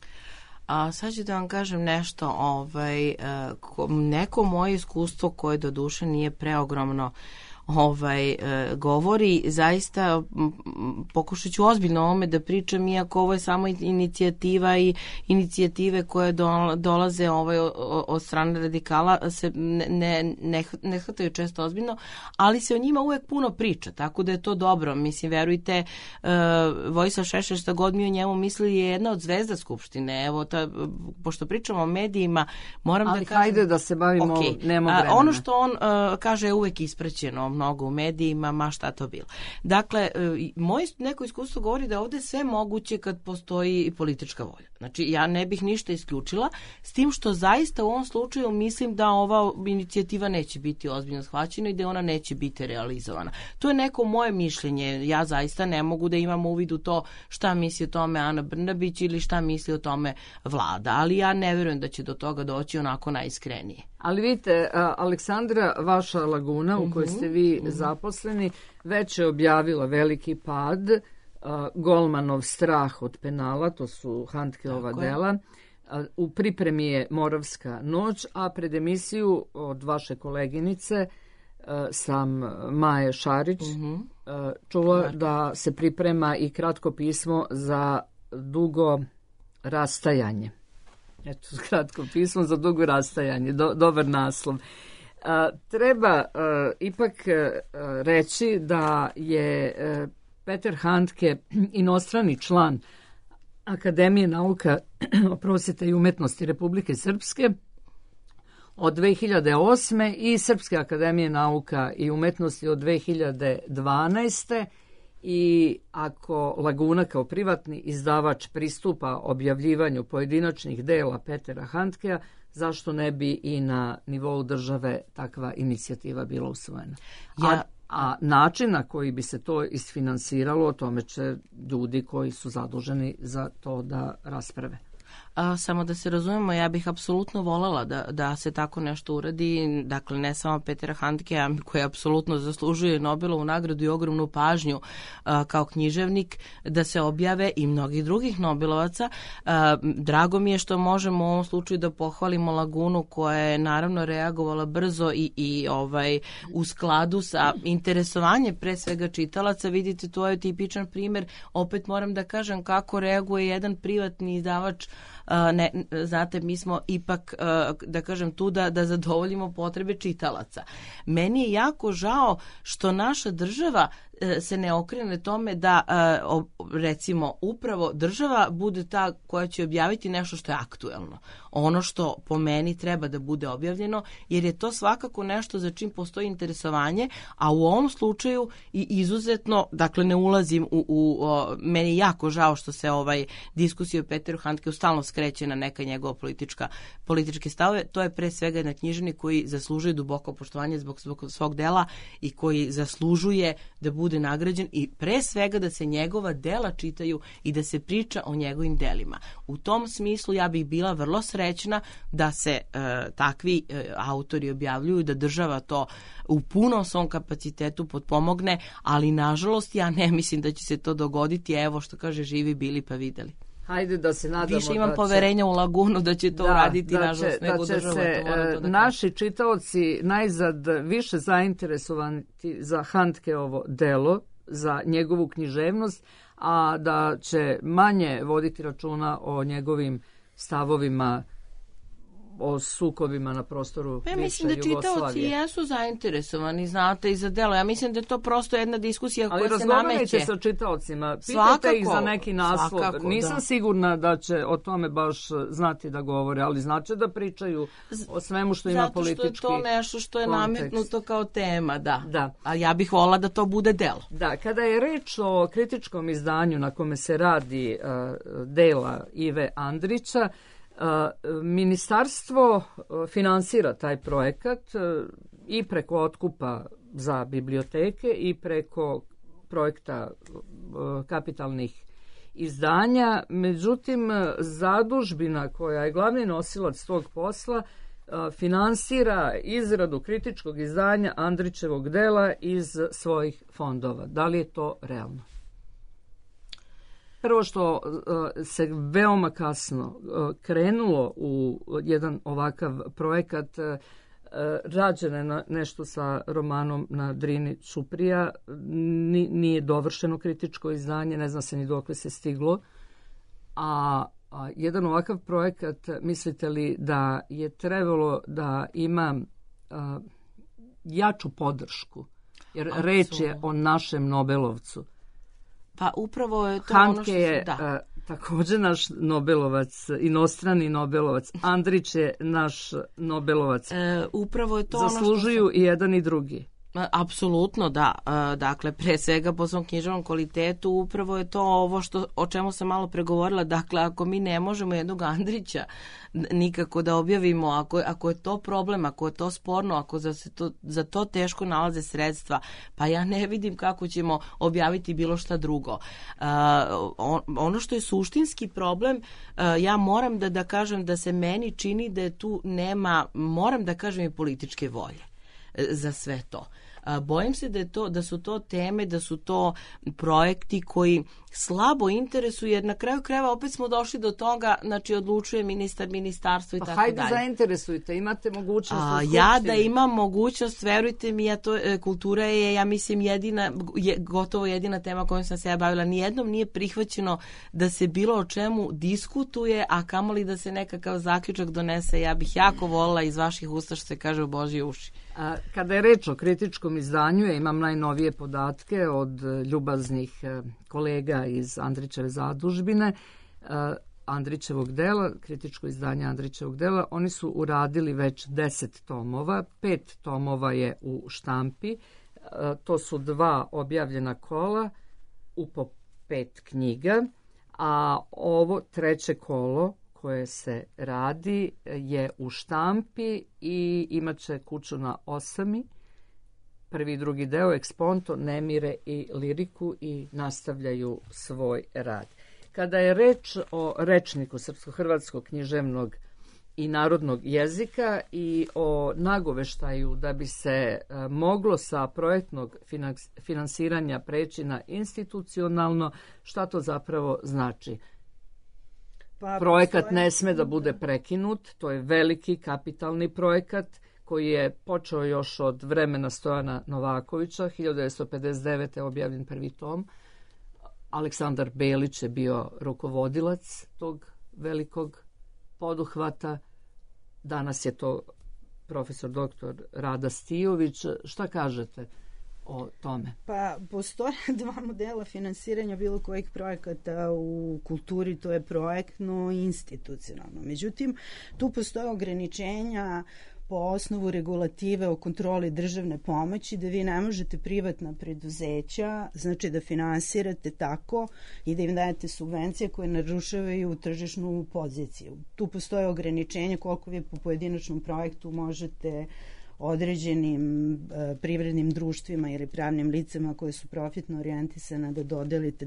A sad ću da vam kažem nešto. Neko moje iskustvo koje do duše nije preogromno govori, zaista pokušat ću ozbiljno o ovome da pričam, iako ovo je samo inicijativa i inicijative koje dolaze od strane radikala se ne hvataju često ozbiljno, ali se o njima uvek puno priča, tako da je to dobro. Mislim, verujte, Vojislav Šešelj, šta god mi o njemu mislili, je jedna od zvezda Skupštine. Evo, pošto pričamo o medijima, moram da kažem... Ali hajde da se bavimo, nema vremena. Ono što on kaže je uvek ispraćeno mnogo u medijima, ma šta to bilo. Dakle, moje neko iskustvo govori da ovde sve moguće kad postoji i politička volja. Znači, ja ne bih ništa isključila, s tim što zaista u ovom slučaju mislim da ova inicijativa neće biti ozbiljno shvaćena i da ona neće biti realizovana. To je neko moje mišljenje. Ja zaista ne mogu da imam uvid u to šta misli o tome Ana Brnabić ili šta misli o tome vlada, ali ja ne verujem da će do toga doći onako najiskrenije. Ali vidite, Aleksandra, vaša laguna u kojoj ste vi zaposleni, već je objavila veliki pad, Golmanov strah od penala, to su Handkeova dela. U pripremi je Moravska noć, a pred emisiju od vaše koleginice sam Maje Šarić čula da se priprema i kratko pismo za dugo rastajanje. Eto, kratko pismo za dugo rastajanje, dobar naslov. Treba ipak reći da je Peter Handke inostrani član Akademije nauka, prosvjete i umetnosti Republike Srpske od 2008. i Srpske akademije nauka i umetnosti od 2012. I ako Laguna kao privatni izdavač pristupa objavljivanju pojedinačnih dela Petera Handkea, zašto ne bi i na nivou države takva inicijativa bila usvojena? A način na koji bi se to isfinansiralo, o tome će ljudi koji su zaduženi za to da rasprave. Samo da se razumemo, ja bih apsolutno voljela da se tako nešto uradi, dakle ne samo Petera Handkea koji apsolutno zaslužuje Nobelovu nagradu i ogromnu pažnju kao književnik, da se objave i mnogih drugih Nobelovaca. Drago mi je što možemo u ovom slučaju da pohvalimo Lagunu koja je naravno reagovala brzo i u skladu sa interesovanjem pre svega čitalaca. Vidite, to je tipičan primjer, opet moram da kažem kako reaguje jedan privatni izdavač. Znate, mi smo ipak, da kažem, tu da zadovoljimo potrebe čitalaca. Meni je jako žao što naša država se ne okrene tome da recimo upravo država bude ta koja će objaviti nešto što je aktuelno. Ono što po meni treba da bude objavljeno, jer je to svakako nešto za čim postoji interesovanje, a u ovom slučaju i izuzetno, dakle ne ulazim meni je jako žao što se diskusija o Peteru Handkeu stalno skreće na neka njegova političke stavove. To je pre svega jedan književnik koji zaslužuje duboko poštovanje zbog svog dela i koji zaslužuje da bude nagrađen i pre svega da se njegova dela čitaju i da se priča o njegovim delima. U tom smislu ja bih bila vrlo srećna da se takvi autori objavljuju, da država to u punom svom kapacitetu potpomogne, ali nažalost ja ne mislim da će se to dogoditi. Evo što kaže, živi bili pa videli. Hajde da se nadamo. Više imam poverenja u Lagunu da će to uraditi, nažalost, nego država. Da će se naši čitaoci najzad više zainteresovani za Handkeovo delo, za njegovu književnost, a da će manje voditi računa o njegovim stavovima, o sukobima na prostoru bivše Jugoslavije. Mislim da čitaoci jesu zainteresovani, znate, i za delo. Ja mislim da je to prosto jedna diskusija koja se nameće. Ali razgovarajte sa čitaocima, pitajte ih za neki naslov. Nisam sigurna da će o tome baš znati da govore, ali znači da pričaju o svemu što ima politički kontekst. Zato što je to nešto što je nametnuto kao tema, da. A ja bih volila da to bude delo. Da, kada je reč o kritičkom izdanju na kome se radi dela Ive Andrića, ministarstvo finansira taj projekat i preko otkupa za biblioteke i preko projekta kapitalnih izdanja. Međutim, zadužbina koja je glavni nosilac tog posla finansira izradu kritičkog izdanja Andrićevog dela iz svojih fondova. Da li je to realno? Prvo što se veoma kasno krenulo u jedan ovakav projekat, rađeno je nešto sa romanom na Drini Ćuprija, nije dovršeno kritičko izdanje, ne zna se ni dokle se stiglo, a jedan ovakav projekat, mislite li da je trebalo da ima jaču podršku, jer reč je o našem Nobelovcu. Pa upravo je to Handke je također naš Nobelovac, inostrani Nobelovac. Andrić je naš Nobelovac. Upravo je to zaslužuju i jedan i drugi. Apsolutno, da. Dakle, pre svega po svom književnom kvalitetu upravo je to ovo o čemu sam malo pregovorila. Dakle, ako mi ne možemo jednog Andrića nikako da objavimo, ako je to problem, ako je to sporno, ako za to teško nalaze sredstva, pa ja ne vidim kako ćemo objaviti bilo šta drugo. Ono što je suštinski problem, ja moram da kažem da se meni čini da je tu nema, moram da kažem, i političke volje za sve to. Bojim se da su to teme, da su to projekti koji slabo interesuju, jer na kraju krajeva opet smo došli do toga, znači odlučuje ministarstvo i tako dalje. Pa hajde zainteresujte, imate mogućnost u skupštini. Ja da imam mogućnost, verujte mi, kultura je, ja mislim, gotovo jedina tema kojom sam se ja bavila. Nijednom nije prihvaćeno da se bilo o čemu diskutuje, a kamoli da se nekakav zaključak donese. Ja bih jako volila iz vaših usta, što se kaže, u Božje uši. Kada je reč o kritičkom izdanju, ja imam najnovije podatke od ljubaznih kolega iz Andrićeve zadužbine, Andrićevog dela, kritičko izdanje Andrićevog dela. Oni su uradili već 10 tomova, 5 tomova je u štampi, to su 2 objavljena kola u po 5 knjiga, a ovo 3. kolo koje se radi je u štampi i imat će kuću na 8. Prvi i drugi deo, Eksponto, Nemire i Liriku, i nastavljaju svoj rad. Kada je reč o rečniku srpsko-hrvatskog književnog i narodnog jezika i o nagoveštaju da bi se moglo sa projektnog finansiranja preći na institucionalno, šta to zapravo znači? Projekat ne sme da bude prekinut, to je veliki kapitalni projekat koji je počeo još od vremena Stojana Novakovića, 1959. je objavljen prvi tom. Aleksandar Belić je bio rukovodilac tog velikog poduhvata. Danas je to profesor doktor Rada Stijović. Šta kažete o tome? Pa, postoje dva modela finansiranja bilo kojih projekata u kulturi, to je projektno i institucionalno. Međutim, tu postoje ograničenja po osnovu regulative o kontroli državne pomoći, da vi ne možete privatna preduzeća, znači da finansirate tako i da im dajete subvencije koje narušavaju tržišnu poziciju. Tu postoje ograničenja koliko vi po pojedinačnom projektu možete određenim privrednim društvima ili pravnim licama koje su profitno orijentisane da dodelite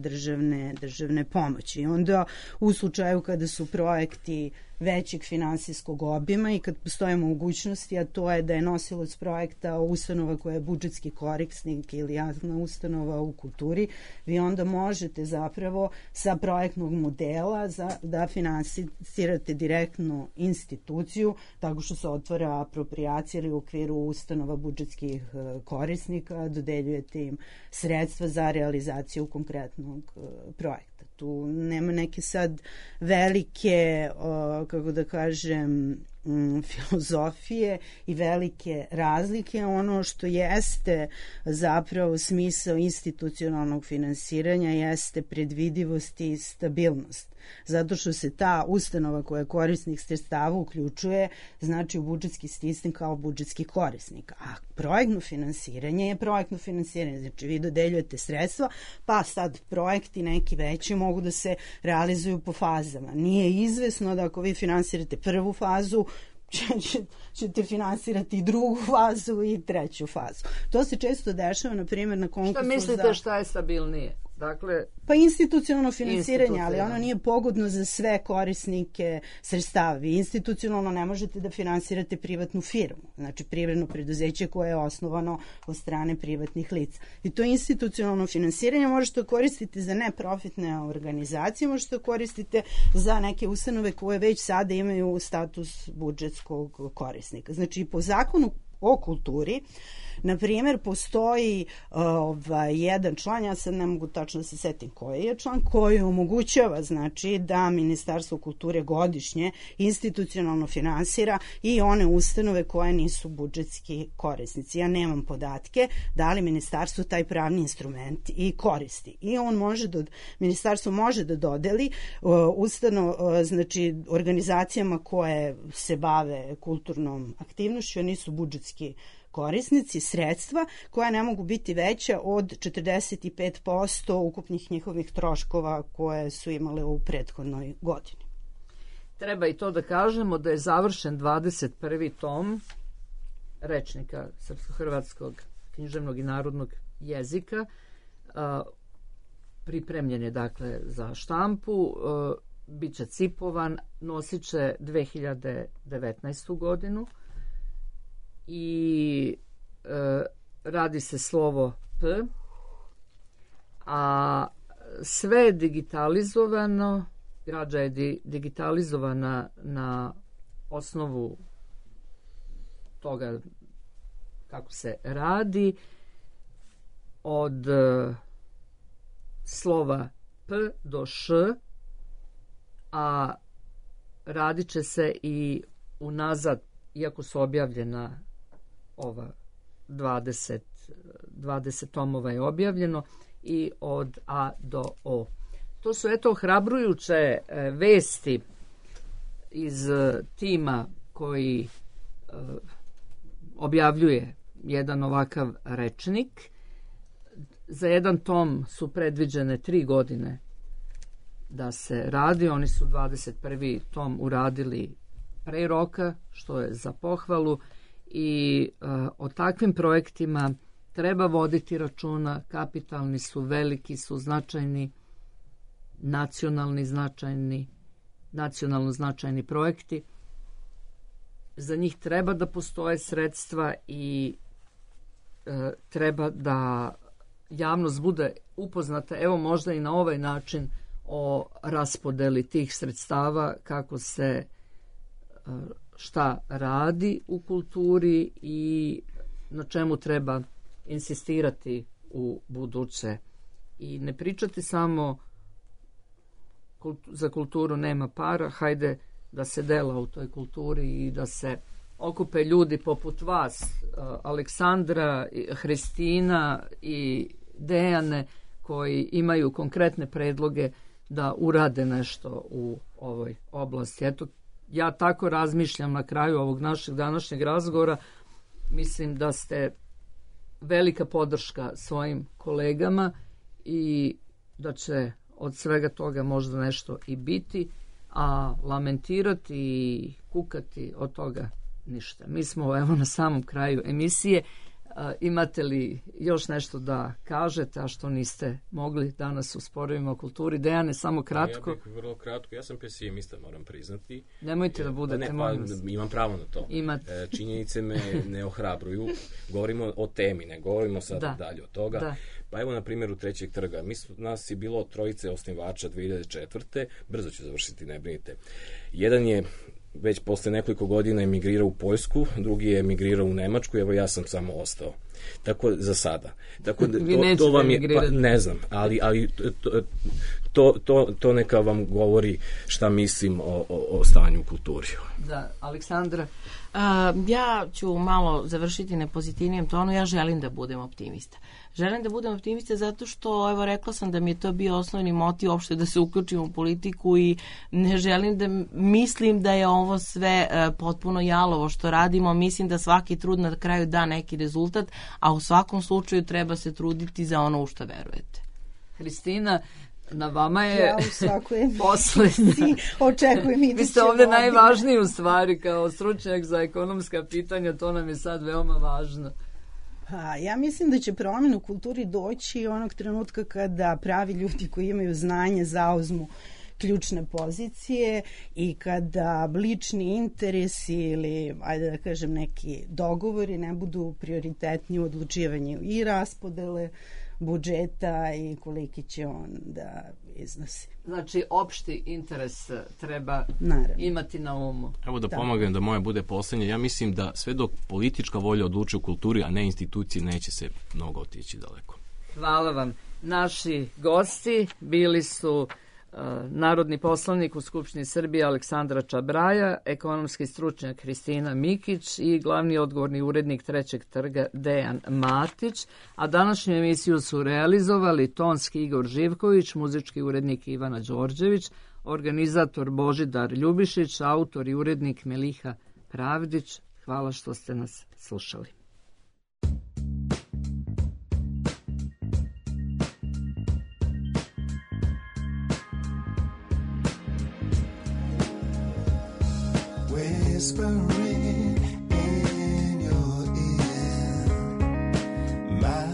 državne pomoći. I onda u slučaju kada su projekti većeg finansijskog obima i kad postoje mogućnosti, a to je da je nosilac projekta ustanova koja je budžetski korisnik ili javna ustanova u kulturi, vi onda možete zapravo sa projektnog modela da finansirate direktno instituciju tako što se otvara apropriacija ili u okviru ustanova budžetskih korisnika dodeljujete im sredstva za realizaciju konkretnog projekta. Tu nema neke sad velike, kako da kažem, filozofije i velike razlike. Ono što jeste zapravo smisao institucionalnog finansiranja jeste predvidivost i stabilnost. Zato što se ta ustanova koja je korisnik sredstava uključuje, znači u budžetski sistem kao budžetski korisnik. A projektno finansiranje je projektno finansiranje. Znači vi dodeljujete sredstva, pa sad projekti neki veći mogu da se realizuju po fazama. Nije izvesno da ako vi finansirate prvu fazu, ćete finansirati i drugu fazu i treću fazu. To se često dešava, na primjer, na konkursu. Šta mislite šta je stabilnije? Dakle, pa institucionalno finansiranje, ali ono nije pogodno za sve korisnike sredstava. Vi institucionalno ne možete da finansirate privatnu firmu, znači privredno preduzeće koje je osnovano od strane privatnih lica. I to institucionalno finansiranje možete koristiti za neprofitne organizacije, možete koristiti za neke ustanove koje već sada imaju status budžetskog korisnika. Znači, po zakonu o kulturi, na primjer, postoji jedan član, ja sad ne mogu tačno da se setim koji je član, koji omogućava, znači, da Ministarstvo kulture godišnje institucionalno finansira i one ustanove koje nisu budžetski korisnici. Ja nemam podatke da li Ministarstvo taj pravni instrument i koristi. I on može Ministarstvo može da dodeli znači, organizacijama koje se bave kulturnom aktivnošću, a nisu budžetski korisnici, sredstva koja ne mogu biti veća od 45% ukupnih njihovih troškova koje su imale u prethodnoj godini. Treba i to da kažemo da je završen 21. tom rečnika srpsko-hrvatskog književnog i narodnog jezika. Pripremljen je dakle za štampu, bit će cipovan, nosit će 2019. godinu i radi se slovo P, a sve je digitalizovano, građa je digitalizovana na osnovu toga kako se radi, od slova P do Š, a radit će se i unazad, iako su objavljena ova 20 tomova je objavljeno, i od A do O. To su eto ohrabrujuće vesti iz tima koji objavljuje jedan ovakav rečnik. Za jedan tom su predviđene 3 godine da se radi. Oni su 21. tom uradili pre roka, što je za pohvalu, i o takvim projektima treba voditi računa. Kapitalni su, veliki su, značajni, nacionalno značajni projekti. Za njih treba da postoje sredstva i treba da javnost bude upoznata, evo možda i na ovaj način, o raspodeli tih sredstava, kako se šta radi u kulturi i na čemu treba insistirati u buduće. I ne pričati samo za kulturu nema para, hajde da se dela u toj kulturi i da se okupe ljudi poput vas, Aleksandra, Hristina i Dejane, koji imaju konkretne predloge da urade nešto u ovoj oblasti. Eto, ja tako razmišljam na kraju ovog našeg današnjeg razgovora. Mislim da ste velika podrška svojim kolegama i da će od svega toga možda nešto i biti, a lamentirati i kukati od toga ništa. Mi smo evo na samom kraju emisije. Imate li još nešto da kažete, a što niste mogli danas u Sporovima o kulturi? Dejane, samo kratko. Ja bih vrlo kratko. Ja sam pesimista, moram priznati. Nemojte da budete, molim vas. Imam pravo na to. Činjenice me ne ohrabruju. Govorimo o temi, ne govorimo sad dalje od toga. Da. Pa evo na primjeru Trećeg trga. Nas je bilo 3 osnivača 2004. Brzo ću završiti, ne brinite. Jedan je već posle nekoliko godina emigrirao u Poljsku, drugi je emigrirao u Nemačku, evo ja sam samo ostao. Tako za sada. Tako da, to vam je, pa, ne znam, ali to neka vam govori šta mislim o stanju u kulturi. Da, Aleksandra? Ja ću malo završiti na pozitivnijem tonu. Ja želim da budem optimista. Želim da budem optimista zato što, evo, rekla sam da mi je to bio osnovni motiv uopšte da se uključim u politiku i ne želim da mislim da je ovo sve potpuno jalovo što radimo. Mislim da svaki trud na kraju da neki rezultat, a u svakom slučaju treba se truditi za ono u što verujete. Hristina, na vama je poslednja. Očekujem iduće. Vi ste ovde najvažniji u stvari kao stručnjak za ekonomska pitanja, to nam je sad veoma važno. Ja mislim da će promjena u kulturi doći onog trenutka kada pravi ljudi koji imaju znanje zauzmu ključne pozicije i kada lični interesi ili, ajde da kažem, neki dogovori ne budu prioritetni u odlučivanju i raspodele budžeta i koliki će on da iznosi. Znači, opšti interes treba imati na umu. Evo da pomognem da moje bude poslednje. Ja mislim da sve dok politička volja odlučuje u kulturi, a ne institucije, neće se mnogo otići daleko. Hvala vam. Naši gosti bili su narodni poslanik u Skupštini Srbije Aleksandra Čabraja, ekonomski stručnjak Hristina Mikić i glavni odgovorni urednik Trećeg trga Dejan Matić, a današnju emisiju su realizovali tonski Igor Živković, muzički urednik Ivana Đorđević, organizator Božidar Ljubišić, autor i urednik Meliha Pravdić. Hvala što ste nas slušali. Whispering in your ear, my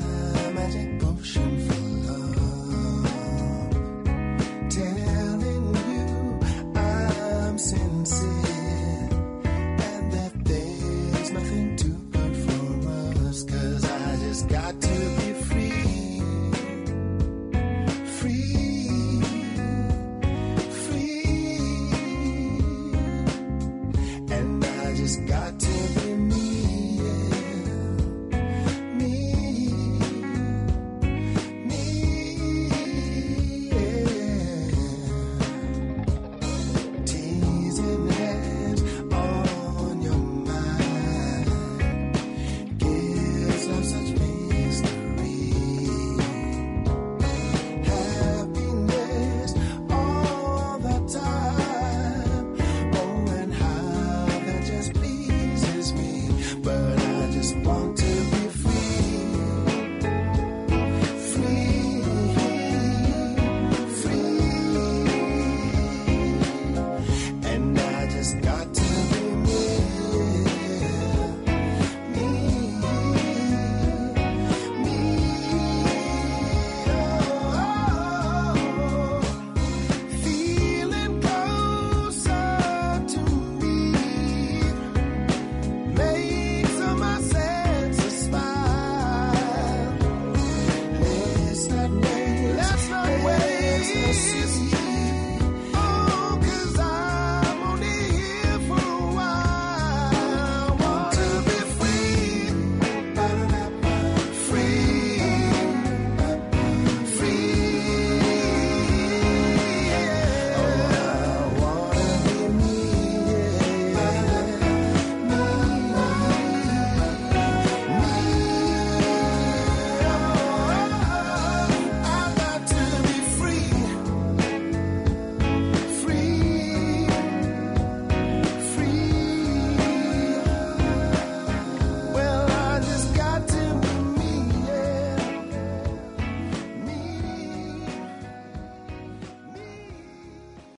magic potion for love, telling you I'm sincere and that there's nothing too good for us, 'cause I just got to be free, free, free. Just got to